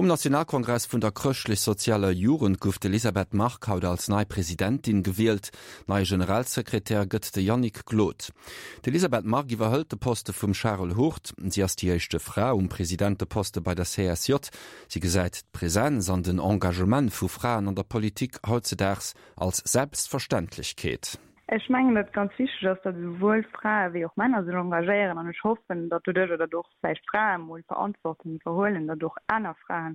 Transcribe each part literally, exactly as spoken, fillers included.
Um Nationalkongress vun der chrëschtlech-sozialer Jugend gouf d'Elisabeth Margue haut als nei Presidentin gewielt. Neie Generalsekretär gëtt de Yannick Glod. D'Elisabeth Margue iwwerhëlt de Poste vum Charel Hurt. Si ass déi éischt Fra um Presidenteposte bei der C S J. Si gesäit d'Presenz an den Engagement vu Fraen an der Politik hautzedaags als Selbstverständlechkeet. Ech mengen, datt ganz wichteg ass, datt esouwuel Frae wéi och Männer sech engagéieren an ech hoffen, datt doduerch datt och vläicht Frae mol Verantwortung iwwerhuelen, datt och aner Frae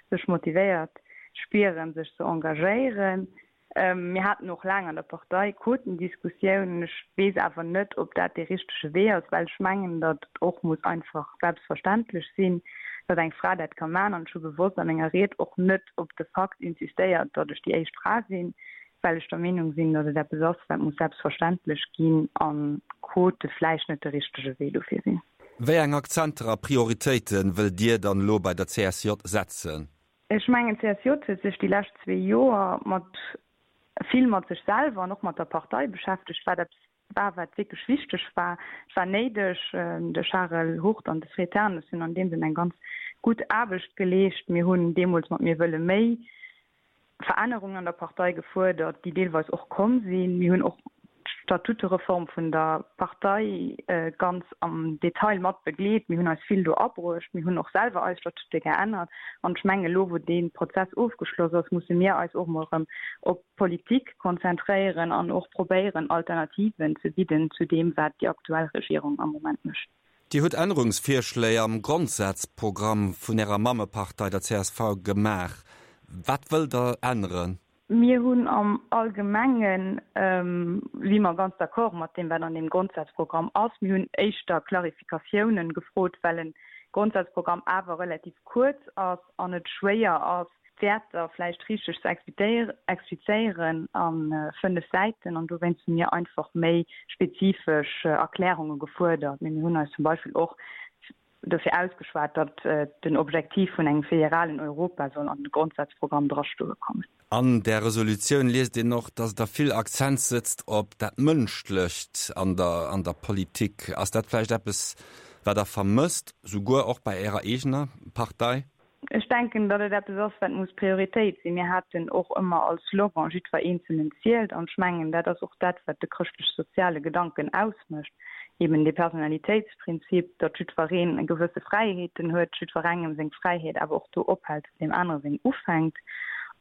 sech motivéiert spieren, sech ze engagéieren. Ähm, mir haten och laang an der Partei Quotendiskussiounen. Ech weess awer net, ob dat de richtege Wee ass, well ech mengen, datt et och muss einfach selbstverständlech sinn, datt eng Fra dat ka maachen an ech hu bewosst a menger Ried och net op de Fakt insistéiert, datt ech déi éischt Fra sinn, well ech der Meenung sinn, datt et eppes ass, wat muss selbstverständlech ginn an Quote vläicht net de richtege Wee dofir sinn. Wéi eng Akzenter a Prioritéite wëllt Dir dann elo bei der C S J setzen? Ech mengen, d'C S J huet sech déi lescht zwee Joer mat vill mat sech selwer an och mat der Partei beschäftegt, wat eppes war, wat wierklech wichteg war. Et war néideg. De Charel Hurt an de Fred Ternes hunn an deem Sënn eng ganz gutt Aarbecht geleescht. Mir hunn deemools mat Mir wëlle méi Verännerungen an der Partei gefuerdert, déi deelweis och komm sinn. Mir hunn och d'Statutereform vun der Partei ganz am Detail mat begleet. Mir hunn eis vill do abruecht. Mir hunn och selwer eis Statute geännert. An ech mengen, elo wou dee Prozess ofgeschloss ass, musse mir eis och mol erëm op d'Politik konzentréieren an och probéieren, Alternativen ze bidden zu deem, wat déi aktuell Regierung am Moment mécht. Dir hutt Ännerungsvirschléi am Grondsazprogramm vun Ärer Mammepartei, der C S V, gemaach. Wat wëllt Der änneren? Mir hunn am Allgemengen, si mer ganz d'accord mat deem, wat an deem Grondsazprogramm ass. Mir hunn éischter Klarifikatiounen gefrot, well e Grondsazprogramm awer relativ kuerz ass an et schwéier ass, d'Wäerter vläicht richteg ze explizéieren a fënnef Säiten. An dowéinst hu mir einfach méi spezifesch Erklärunge gefuerdert. Mee mir hunn eis zum Beispill och dofir ausgeschwat, datt den Objektiv vun engem federalen Europa soll an de Grondsazprogramm drastoe kommen. An där Resolutioun liest een och, datt Der vill Akzent setzt op dat Mënschlecht an der an der Politik. Ass dat vläicht eppes, wat Der vermësst, souguer och bei Ärer eegener Partei? Ech denken, datt et eppes ass, wat muss Prioritéit sinn. Mir haten och ëmmer als Slogan Jiddwer Eenzelnen zielt an ech mengen, dat ass och dat, wat de chrëschtlech-soziale Gedanken ausmécht, eben de Personalitéitsprinzip, datt jiddwereen e gewësse Fräiheeten huet, jiddwerengem seng Fräiheet awer och do ophält, wou deem anere seng ufänkt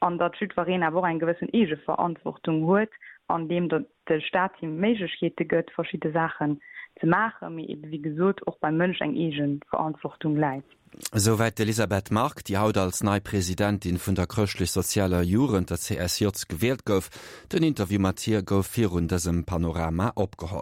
an datt jiddwereen awer och eng gewëssen Eegeverantwortung huet, andeem de Staat him Méiglechkeete gëtt, verschidde Saachen ze maachen, mee ebe wéi gesot och beim Mënsch eng Eegeverantwortung läit. Esouwäit d'Elisabeth Margue, déi haut als nei Presidentin vun der Chrëschtlech-Sozialer Jugend, der C S J, gewielt gouf. Den Interview mat hir gouf virun dësem Panorama opgeholl.